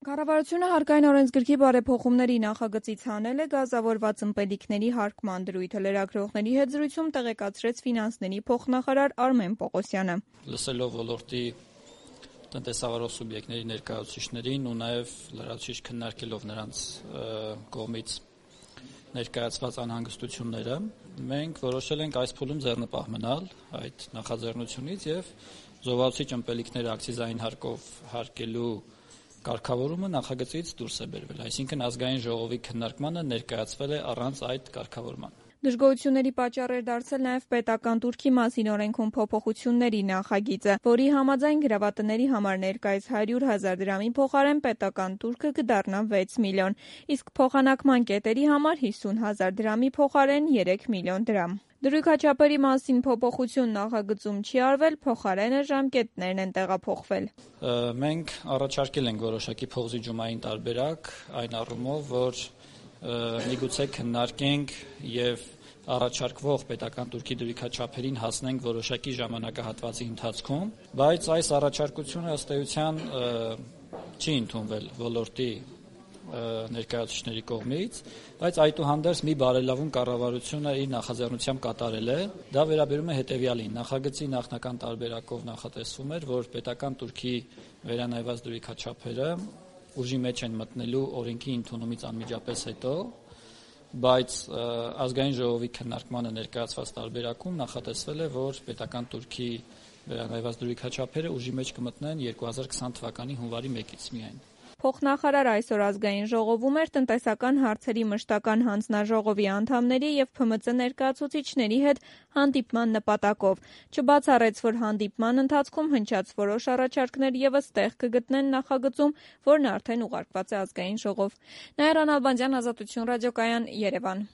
Կառավարությունը հարկային օրենսգրքի բարեփոխումների նախագծից հանել է գազավորված ըմպելիքների հարկման դրույթը։ Լրագրողների հետ զրույցում տեղեկացրեց ֆինանսների փոխնախարար Արմեն Պողոսյանը։ Լսելով ոլորտի տնտեսավարող սուբյեկտների ներկայացուցիչներին ու նաև լրացուցիչ քննարկելով նրանց կողմից ներկայացված անհանգստությունները, մենք որոշել ենք այս փուլում ձեռնպահ մնալ այդ նախաձեռնությունից եւ զովացուցիչ ըմպելիքները ակցիզային հարկով հարկելու կարգավորումը նախագծից դուրս է բերվել, այսինքն ազգային ժողովի քննարկմանը ներկայացվել է առանց այդ կարգավորման։ Դժգոհությունների պատճառ էր դարձել նաև պետական տուրքի մասին օրենքում փոփոխությունների նախագիծը, որի համաձայն գրավատների համար ներկայիս 100,000 դրամի փոխարեն պետական տուրքը կդառնա 6 միլիոն, իսկ փոխանակման կետերի համար 50,000 դրամի փոխարեն 3 միլիոն դրամ։ Դրույքաչափերի մասին փոփոխություն նախագծում չի արվել, փոխարենը ժամկետներն են տեղափոխվել։ Մենք առաջարկել ենք որոշակի փոխզիջումային տարբերակ այն առումով, որ միգուցե քննարկենք եւ առաջարկվող պետական տուրքի դրույքաչափերին հասնենք որոշակի ժամանակահատվածի ընթացքում, բայց այս առաջարկությունը ըստ էության չի ընդունվել ոլորտի ներկայացուցիչների կողմից, բայց այդուհանդերձ մի բարելավում կառավարությունը իր նախաձեռնությամբ կատարել է։ Դա վերաբերում է հետևյալին. նախագծի նախնական տարբերակով նախատեսվում էր, որ պետական տուրքի վերանայված դրույքաչափերը ուժի մեջ են մտնելու օրենքի ընդունումից անմիջապես հետո, բայց ազգային ժողովի քննարկմանը ներկայացված տարբերակում նախատեսվել է, որ պետական տուրքի վերանայված դրույքաչափերը ուժի մեջ կմտնեն 2020 թվականի հունվարի 1-ից միայն։ Փոխնախարարը այսօր ազգային ժողովում էր տնտեսական հարցերի մշտական հանձնաժողովի անդամների եւ ՓՄԾ ներկայացուցիչների հետ հանդիպման նպատակով։ Չբացառեց, որ հանդիպման ընթացքում հնչած որոշ առաջարկներ եւս տեղ կգտնեն նախագծում, որն արդեն ուղարկված է ազգային ժողով։ Նաիրա Նալբանդյան, Ազատություն ռադիոկայան, Երևան։